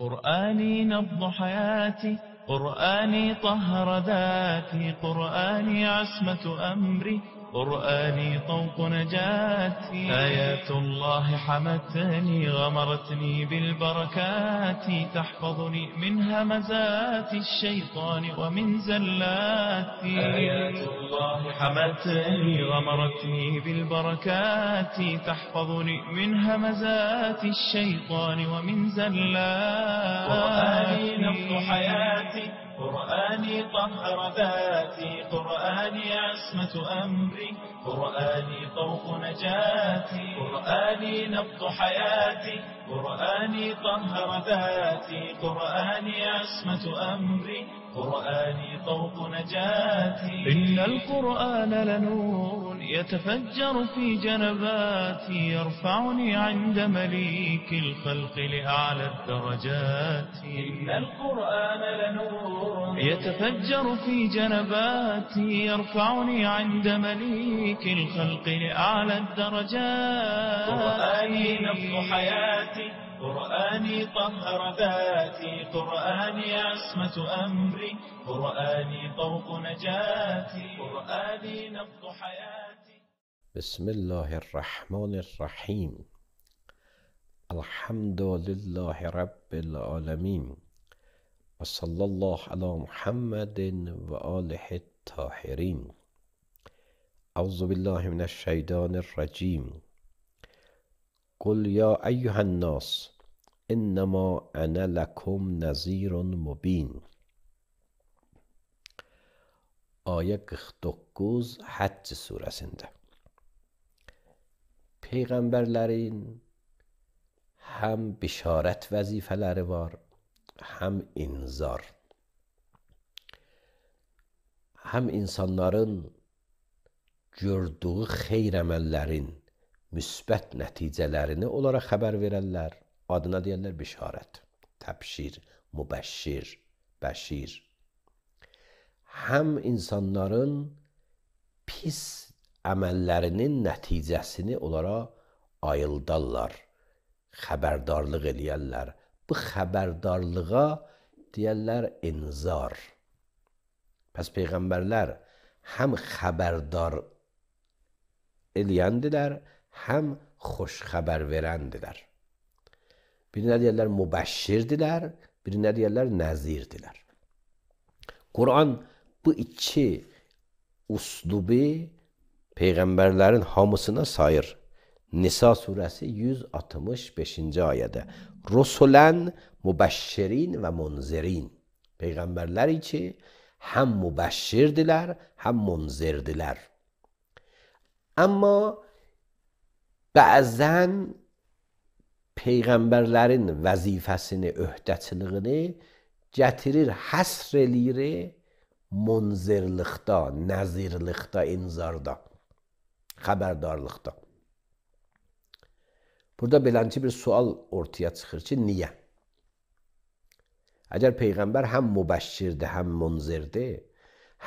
قرآني نبض حياتي، قرآني طهر ذاتي، قرآني عصمة أمري، قرآني طوق نجاتي. آيات الله حمتني غمرتني بالبركات، تحفظني من همزات الشيطان ومن زلاتي. آيات الله حمتني غمرتني بالبركات، تحفظني من همزات الشيطان ومن زلاتي. قرآني نبض حياتي، قرآني طهر ذاتي، قرآني عصمة أمري، قرآني طوق نجاتي. قرآني نبض حياتي، قرآني طهر ذاتي، قرآني عصمة أمري، قرآني طوق نجاتي. إن القرآن لنور يتفجر في جنباتي، يرفعني عند مليك الخلق لأعلى الدرجات. إن القرآن لنور يتفجر في جنباتي، يرفعني عند مليك الخلق لأعلى الدرجات. قرآني نبض حياتي، قرآني طهر ذاتي، قرآني عصمة أمري، قرآني طوق نجاتي. قرآني نبض حياتي. بسم الله الرحمن الرحیم. الحمد لله رب العالمین و صلی الله علی محمد و آله الطاهرین. اعوذ بالله من الشیطان الرجیم. قل یا ایها الناس انما انا لکم نذیر مبین. Ayet 49 Həcc surəsində. Peyğəmbərlərin həm bişarət vəzifələri var, həm inzar. Həm insanların gördüyü xeyr əməllərin müsbət nəticələrini onlara xəbər verərlər. Adına deyərlər bişarət, təbşir, mübəşşir, bəşir. Həm insanların pis əməllərinin nəticəsini onlara ayıldarlar, xəbərdarlıq eləyərlər. Bu xəbərdarlığa deyərlər inzar. Pəs Peyğəmbərlər həm xəbərdar eləyəndilər, həm xoş xəbər verəndilər. Birinə deyərlər mübəşşirdilər, birinə deyərlər nəzirdilər. Quran bu iki uslubu Peyğəmbərlərin hamısına sayır. Nisa surəsi 165-ci ayədə. Rusulən mübəşşirin və munzirin. Peyğəmbərlər ki, həm mübəşşirdilər, həm munzirdilər. Amma bəzən Peyğəmbərlərin vəzifəsini, öhdəçiliyini gətirir, həsr eləyir munzirlikdə, nəzirlikdə, inzarda, xəbərdarlıqda. Burada belənçi bir sual ortaya çıxır ki, niyə? Əgər Peyğəmbər həm mübəşşirdir, həm munzirdir,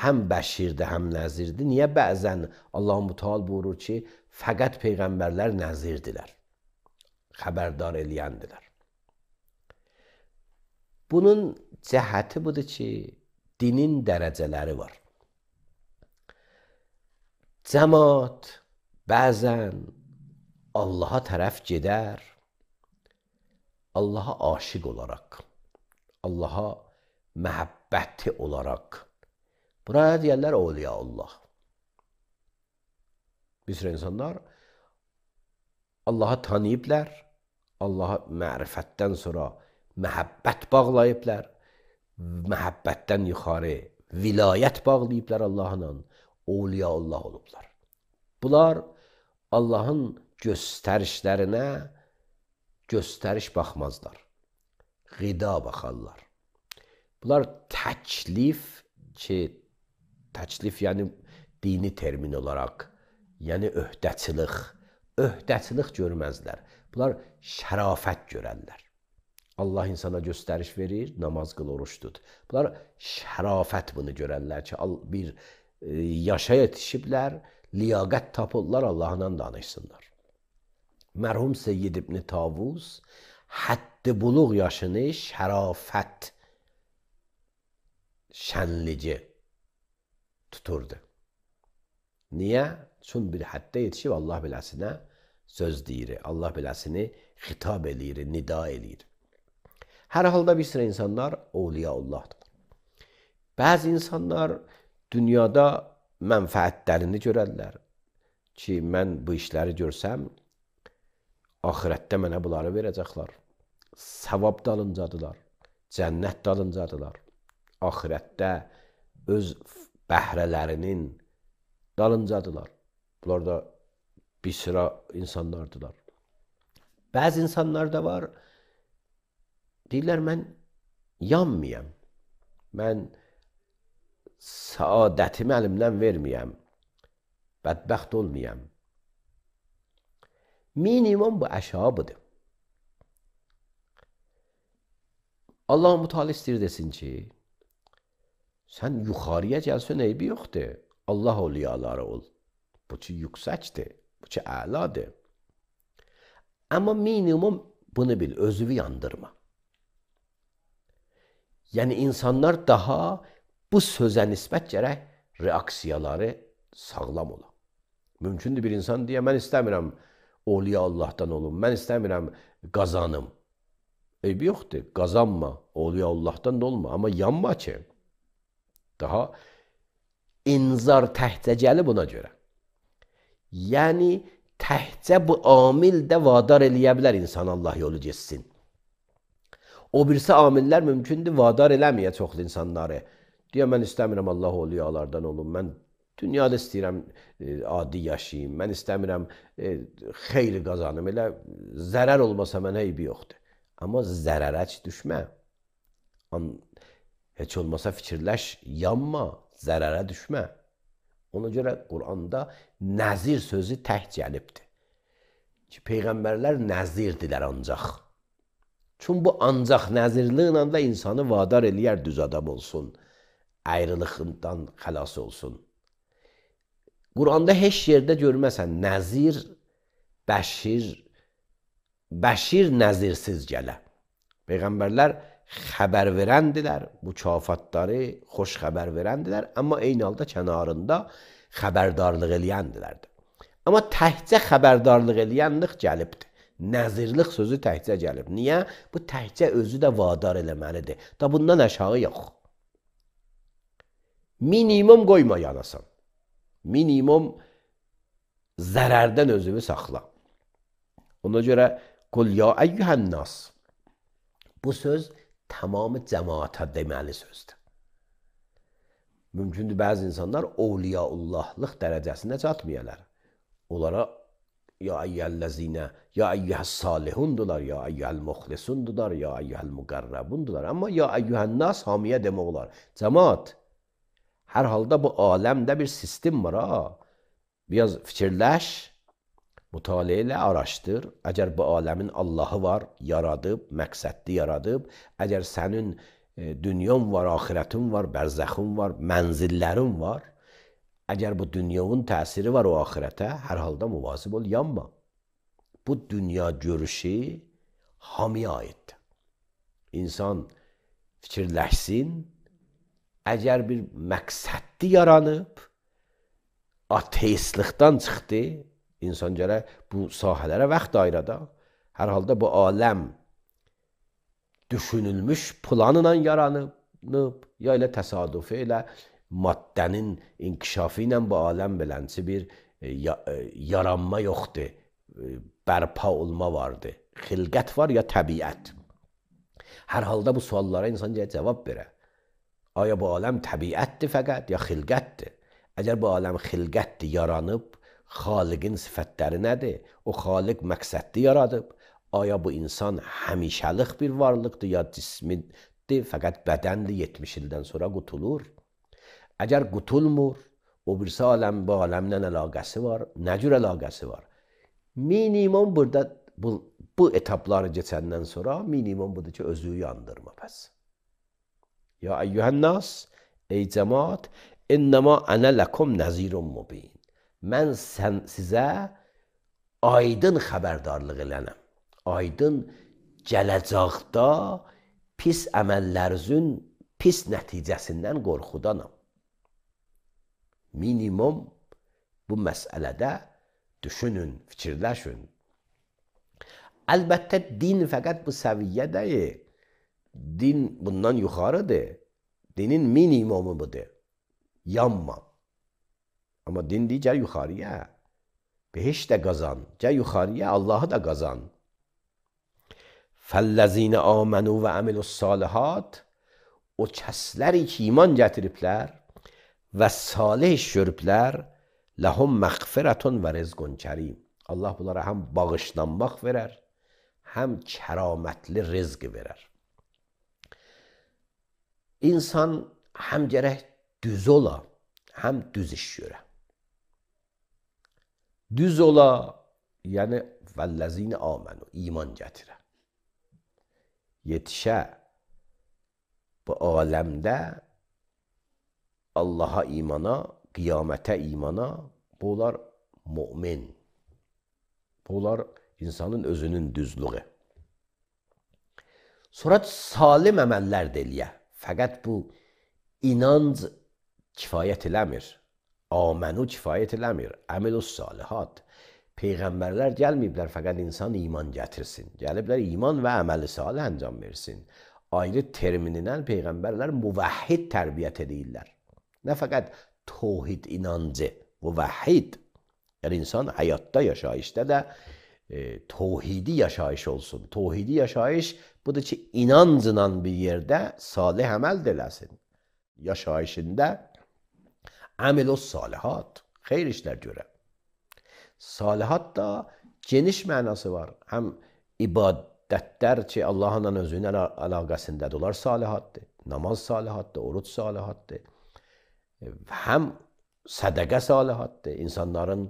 həm bəşirdir, həm nəzirdir, niyə bəzən Allah-u Müteal buyurur ki, fəqət Peyğəmbərlər nəzirdilər, xəbərdar eləyəndilər? Bunun cəhəti budur ki, dinin dərəcələri var. Cəmaat bəzən Allaha tərəf gedər, Allaha aşiq olaraq, Allaha məhəbbəti olaraq. Buraya deyərlər Awliya Allah. Bir sürü insanlar Allaha tanıyıblər, Allaha mərifətdən sonra məhəbbət bağlayıblar, məhəbbətdən yuxarı vilayət bağlayıblar Allahla, Awliya Allah olublar. Bunlar Allahın göstərişlərinə göstəriş baxmazlar, qida baxarlar. Bunlar təklif ki, təklif yəni dini termin olaraq, yəni öhdəçilik görməzlər. Bunlar şərafət görərlər. Allah insana göstəriş verir, namaz qıl, oruç tut. Bunlar şərafət bunu görərlər ki, bir yaşa yetişiblər, liyaqət tapırlar, Allahla danışsınlar. Mərhum Seyyid İbn Tavus hədd buluq yaşını şərafət şənlici tuturdu. Niyə? Çün bir həddə yetişib Allah beləsinə söz deyir, Allah beləsini xitab eləyir, nida eləyir. Hər halda bir sıra insanlar Avliyaullahdır. Bəzi insanlar dünyada mənfəətlərini görərlər ki, mən bu işləri görsəm, axirətdə mənə bunları verəcəklər. Savab dalıncadılar, cənnət dalıncadılar. Axirətdə öz bəhrələrinin dalıncadılar. Bunlar da bir sıra insanlardılar. Bəzi insanlar da var, deyirlər, mən yanmayam, mən saadətimi əlimdən verməyəm, bədbəxt olmayam. Minimum bu əşabıdır. Allah-u Teala istəyir desin ki, sən yuxarıya gəlsən eybi yoxdur, Allah avliyaları ol. Bu ki yüksəkdir, bu ki əladır. Amma minimum bunu bil, özünü yandırma. Yəni insanlar daha bu sözə nisbət gərək reaksiyaları sağlam ola. Mümkündür bir insan deyə, mən istəmirəm Avliya Allah'tan olum, mən istəmirəm qazanım. Eybi yoxdur, qazanma, Avliya Allah'tan da olma, amma yanma ki. Daha inzar təhcə gəlib buna görə. Yəni təhcə bu amil də vadar eləyə bilər insan Allah yolu geçsin. O birisi amillər mümkündür vadar eləməyə çoxlu insanları. Deyə mən istəmirəm Allah avliyalardan olum, mən dünyada istəyirəm adi yaşayayım, mən istəmirəm xeyri qazanım, elə zərər olmasa mənə eybi yoxdur. Amma zərərə heç düşmə. Heç olmasa fikirləş, yanma, zərərə düşmə. Ona görə Quranda nəzir sözü tək gəlibdir. Ki, Peyğəmbərlər nəzirdirlər ancaq. Çünki bu ancaq nəzirliğinə də insanı vadar eləyər düz adam olsun, ayrılıqdan xəlas olsun. Quranda heç yerdə görməsən nəzir, bəşir nəzirsiz gələ. Peyğəmbərlər xəbər verəndilər, mükafatları xoş xəbər verəndilər, amma eyni halda kənarında xəbərdarlıq eləyəndilərdir. Amma təhcə xəbərdarlıq eləyənlik gəlibdir. Nəzirlik sözü təhcə gəlib. Niyə? Bu təhcə özü də vadar eləməlidir. Da bundan aşağı yox. Minimum qoyma yanasan. Minimum zərərdən özünü saxla. Ona görə qul ya əyyuhənnas. Bu söz tamamı cəmaata deməli sözdür. Mümkündür bəzi insanlar Avliyaullahlıq dərəcəsinə çatmayalar. Onlara ya eyyəl-ləzinə, ya eyyəhəs-salihundular, ya eyyəhəl-muxlisundular, ya eyyəhəl-müqərrəbundular. Amma ya eyyuhənnas hamiyə demək olar. Cəmaat. Hər halda bu aləmdə bir sistem var ha. Biraz fikirləş, mütaliə ilə araşdır. Əgər bu aləmin Allahı var, yaradıb, məqsədli yaradıb, əgər sənin dünyan var, axirətin var, bərzəxin var, mənzillərin var, əgər bu dünyanın təsiri var o axirətə, hər halda müvazib ol, yanma. Bu dünya görüşü hamiyə aiddir. İnsan fikirləşsin, əgər bir məqsədli yaranıb, ateistlikdən çıxdı, insan gərək bu sahələrə vaxt ayırada. Hər halda bu aləm düşünülmüş planla yaranıb, ya ilə təsadüfi ilə maddənin inkişafı ilə bu aləm belənçi bir yaranma yoxdur, bərpa olma vardır. Xilqət var ya təbiət. Hər halda bu suallara insan cavab verər. Aya bu aləm təbiətdir fəqət ya xilqətdir? Əgər bu aləm xilqətdir, yaranıb, xaliqin sifətləri nədir? O xaliq məqsədli yaradıb. Aya bu insan həmişəlik bir varlıqdır ya cismidir, fəqət bədəndir, 70 ildən sonra qutulur. Əgər qutulmur, o birisi aləm bu aləmlə əlaqəsi var, nə cür əlaqəsi var? Minimum burada bu etapları keçəndən sonra minimum budur ki, özü yandırma bəs. Ya əyyuhənnas, ey cəmaat, innəmə ənə ləkum nəzirun mubin. Mən sizə aydın xəbərdarlıq elənəm, aydın gələcəkdə pis əməllərinizin pis nəticəsindən qorxudanam. Minimum bu məsələdə düşünün, fikirləşin. Əlbəttə din fəqət bu səviyyədə deyil. Din bundan yuxarıdır. Dinin minimumu budur. Yanma. Amma din deyir, gəl yuxarıya. Behiş də qazan. Gəl yuxarıya, Allahı da qazan. فَالَّذِينَ آمَنُوا وَعَمِلُوا الصَّالِحَاتِ O kəsləri ki, iman gətiriblər və salih iş görüblər, لَهُمْ مَغْفِرَةٌ وَرِزْقٌ كَرِيمٌ Allah bunlara həm bağışlanmaq verər, həm kəramətli rizq verər. İnsan həm gərək düz ola, həm düz iş görə. Düz ola, yəni vəllezine amenu, iman gətirə. Yetişə bu aləmdə Allaha imana, qiyamətə imana, bunlar mümin. Bunlar insanın özünün düzlüğü. Sonra salim əməllər deyilə. Fəqət bu inanc kifayət eləmir. Amenu kifayət eləmir. Əməlus salihat. Peyğəmbərlər gəlməyiblər fəqət insan iman gətirsin. Gəliblər iman və əməli salih əncam versin. Ayrı terminindən Peyğəmbərlər muvəhhid tərbiyyət edirlər. Nə fəqət tohid inancı, muvəhhid. Yəni insan həyatda, yaşayışda da tohidi yaşayış olsun. Tohidi yaşayış budur ki, inancla bir yerdə salih əməl eləsin. Yaşayışında əməlus salihat, xeyr işlər görə. Salihat da geniş mənası var. Həm ibadətlər ki, Allahla özünün əlaqəsindədir, onlar salihatdır. Namaz salihatdır, oruç salihatdır. Həm sədəqə salihatdır. İnsanların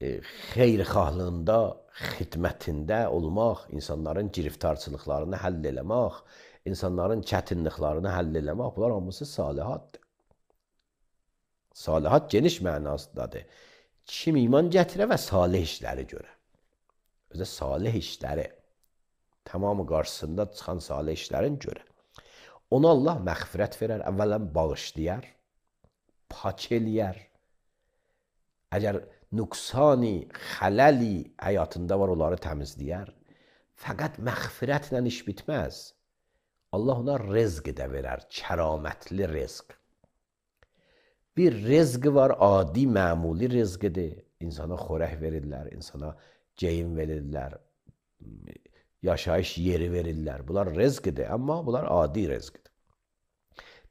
xeyirxahlığında, xidmətində olmaq, insanların giriftarçılıqlarını həll eləmək, insanların çətinliklərini həll eləmək, bunlar hamısı salihatdır. Salihat geniş mənasındadır. Kim iman gətirə və salih işləri görə. Özə salih işləri, tamamı qarşısında çıxan salih işlərin görə. Ona Allah məğfirət verər, əvvələn bağışlayar, pak eləyər. Əgər nüqsani, xələli həyatında var, onları təmizləyər. Fəqət məğfirətlə iş bitməz. Allah ona rizq də verər, kəramətli rizq. Bir rizq var, adi, məmuli rizqidir. İnsana xörək verirlər, insana geyim verirlər, yaşayış yeri verirlər. Bunlar rizqidir, amma bunlar adi rizqidir.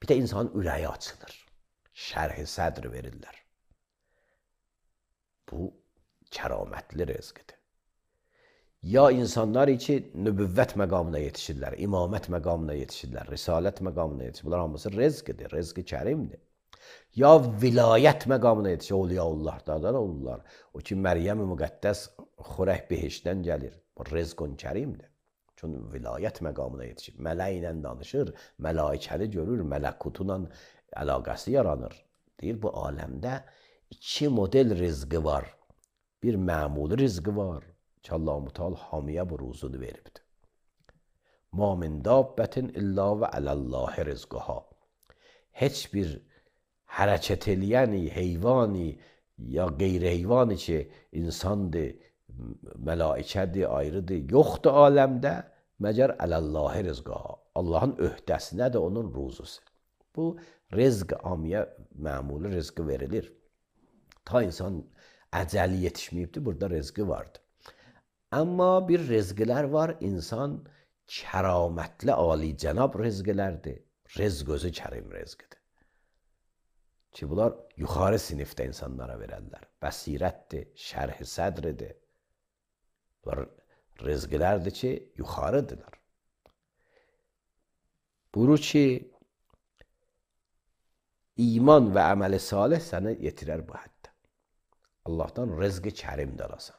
Bir də insanın ürəyi açılır, şərh-i sədr verirlər. Bu kəramətli rizqidir. Ya insanlar ki, nübüvvət məqamına yetişirlər, imamət məqamına yetişirlər, risalət məqamına yetişirlər. Bunlar hamısı rizqidir, rizqi kərimdir. Ya vilayət məqamına yetişir, Awliyaullah olurlar. O ki, Məryəm-i Müqəddəs xörək behişdən gəlir. Bu rizqun kərimdir. Çünki vilayət məqamına yetişir. Mələk ilə danışır, mələikəni görür, mələkutla əlaqəsi yaranır. Deyir, bu aləmdə iki model rizqi var. Bir məmuli rizqi var ki, Allah-u Teala hamiyə bu ruzunu veribdir. Ma min dabbətin illa və aləllahi rizqaha. Heç bir hərəkət eləyəni, heyvani ya qeyri-heyvani ki, insandır, mələikədir, ayrıdır, yoxdur aləmdə, məgər ələllahi rizqaha. Allahın öhdəsinədir onun ruzusu. Bu rizq amiyə, məmuli rizqi verilir. Ta insan əcəli yetişməyibdir, burada rizqi vardır. Amma bir rizqilər var, insan kəramətli, alicənab rizqilərdir. Rizq özü kərim rizqidir. Ki, bunlar yuxarı sinifdə insanlara verərlər. Bəsirətdir, şərh-i sədridir. Bunlar rizqilərdir ki, yuxarıdırlar. Buyurur ki, iman və əməli salih səni yetirər bu həddə. Allahdan rizqi kərim də alasan.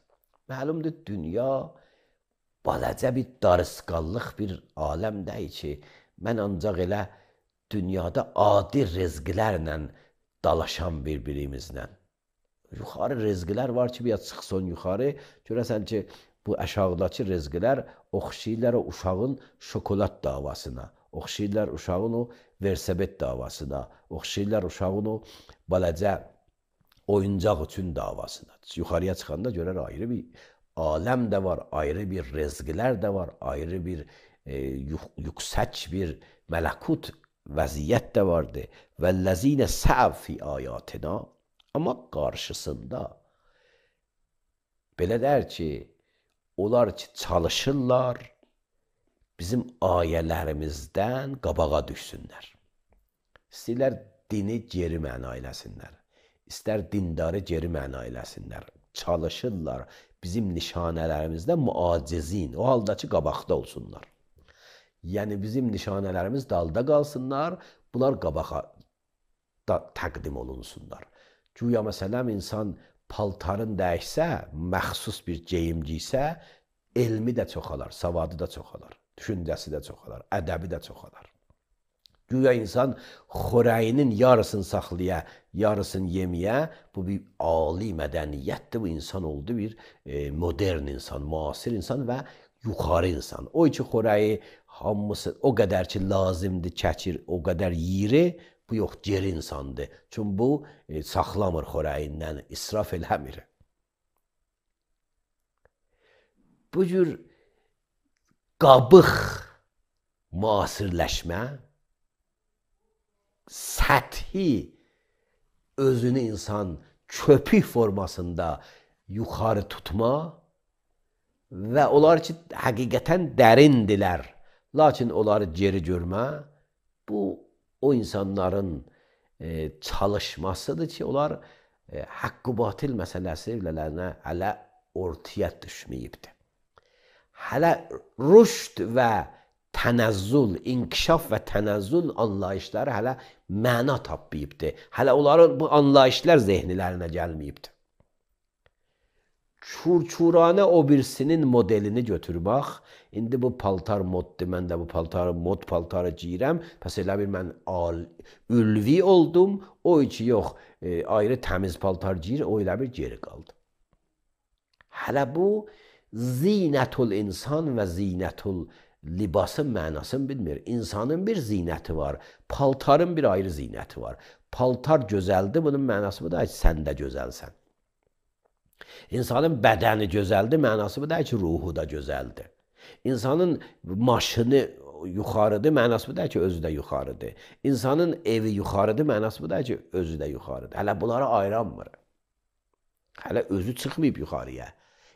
Məlumdur, dünya balaca bir darısqallıq bir aləmdəyik ki, mən ancaq elə dünyada adi rizqlərlə dalaşan bir-birimizlə. Yuxarı rizqlər var ki, bir çıxsın yuxarı, görəsən ki, bu aşağıdakı rizqlər oxşayırlar o uşağın şokolad davasına, oxşayırlar uşağın o versabet davasına, oxşayırlar uşağın o balaca oyuncaq üçün davasına. Yuxarıya çıxanda görər ayrı bir aləm də var, ayrı bir rizqlər də var, ayrı bir yüksək bir mələkut vəziyyət də vardı. Vəllezine səv fi ayatina. Amma qarşısında belə der ki, onlar ki çalışırlar, bizim ayələrimizdən qabağa düşsünlər. İstəyirlər dini geri məna eləsinlər. İstər dindarı geri məna eləsinlər. Çalışırlar bizim nişanələrimizdən muacizin, o halda ki qabaqda olsunlar. Yəni bizim nişanələrimiz dalda qalsınlar, bunlar qabağa da təqdim olunsunlar. Güya məsələn insan paltarın dəyişsə, məxsus bir geyimci isə, elmi də çoxalar, savadı da çoxalar, düşüncəsi də çoxalar, ədəbi də çoxalar. Güya insan xörəyinin yarısını saxlaya, yarısını yeməyə, bu bir ali mədəniyyətdir, bu insan oldu bir modern insan, müasir insan və yuxarı insan. O ki xörəyi hamısı o qədər ki lazımdır, çəkir, o qədər yiyir, bu yox, geri insandır. Çünki bu saxlamır xörəyindən, israf eləmir. Bu cür qabıq müasirləşmə, səthi özünü insan köpük formasında yuxarı tutma və onlar ki həqiqətən dərindirlər, lakin onları geri görmə, bu o insanların çalışmasıdır ki, onlar haqqı batil məsələsi hələ ortaya düşməyibdir. Hələ rüşd və tənəzzül, inkişaf və tənəzzül anlayışları hələ məna tapmayıbdır. Hələ onların bu anlayışlar zehnilərinə gəlməyibdir. Çurçuranə o birisinin modelini götür bax. İndi bu paltar moddur, mən də bu mod paltarı giyirəm. Pəs elə bir mən ülvi oldum. O ki yox, ayrı təmiz paltar giyir, o elə bir geri qaldı. Hələ bu zinətul insan və zinətul libasın mənasını bilmir. İnsanın bir zinəti var, paltarın bir ayrı zinəti var. Paltar gözəldir, bunun mənası bu da ki, sən də gözəlsən. İnsanın bədəni gözəldir, mənası bu da ki, ruhu da gözəldir. İnsanın maşını yuxarıdır, mənası bu da ki, özü də yuxarıdır. İnsanın evi yuxarıdır, mənası bu da ki, özü də yuxarıdır. Hələ bunları ayıranmır. Hələ özü çıxmayıb yuxarıya.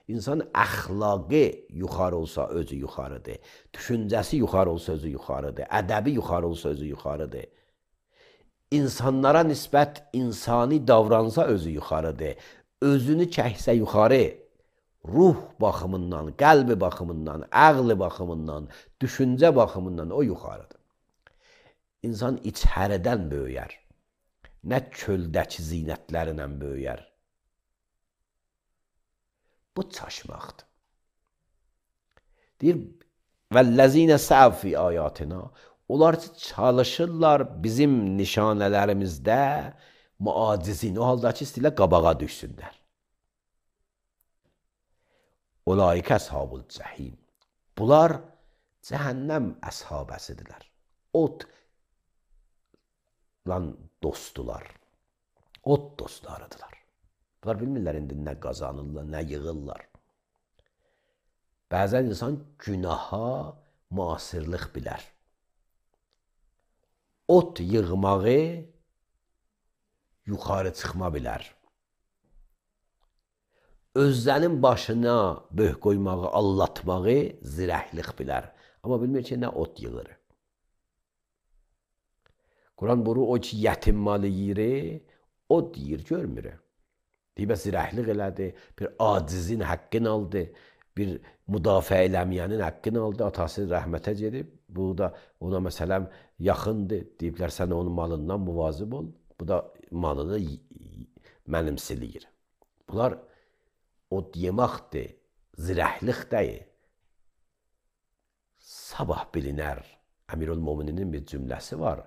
İnsanın əxlaqı yuxarı olsa özü yuxarıdır. Düşüncəsi yuxarı olsa özü yuxarıdır. Ədəbi yuxarı olsa özü yuxarıdır. İnsanlara nisbət insani davransa özü yuxarıdır. Özünü çəksə yuxarı, ruh baxımından, qəlbi baxımından, əqli baxımından, düşüncə baxımından o yuxarıdır. İnsan içəridən böyüyər. Nə köldəki zinətlərlə böyüyər. Bu çaşmaqdır. Deyir, vəllezine səv fi ayatina. Onlar çalışırlar bizim nişanələrimizdə muacizin, o halda ki, istəyirlər qabağa düşsünlər. Ulaikə əshabul cəhim. Bunlar cəhənnəm əshabəsidirlər. Otla dostdular. Ot dostlarıdırlar. Bunlar bilmirlər indi nə qazanırlar, nə yığırlar. Bəzən insan günaha müasirlik bilər. Ot yığmağı yuxarı çıxma bilər. Özlərin başına böh qoymağı, allatmağı zirəhlik bilər. Amma bilmir ki, nə ot yığır. Quran buyurur, o ki, yetim malı yiyir, ot yiyir, görmür. Deyibə zirəhlik elədi, bir acizin haqqını aldı, bir müdafiə eləməyənin haqqını aldı, atası rəhmətə gedib, bu da ona məsələn yaxındır, deyiblər sən onun malından muvazib ol, bu da malını mənimsiliyir. Bunlar ot yemaqdır, zirəhlik deyil. Sabah bilinər, Əmirül-Mömininin bir cümləsi var,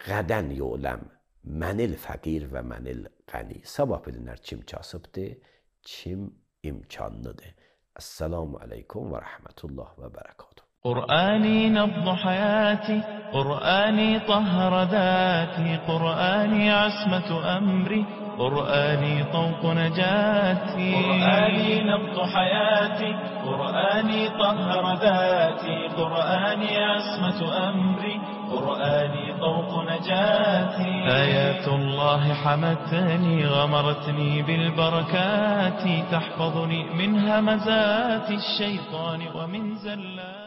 qədən yoləm, mənil fəqir və mənil qəni. Sabah bilinər kim kasıbdır, kim imkanlıdır. السلام علیکم و رحمت الله و برکاته. قرآني نبض حياتي، قرآني طهر ذاتي، قرآني عصمة أمري، قرآني طوق نجاتي. قرآني نبض حياتي، قرآني طهر ذاتي، قرآني عصمة أمري، قرآني طوق نجاتي. آيات الله حمتني، غمرتني بالبركات، تحفظني من همزات الشيطان ومن زلات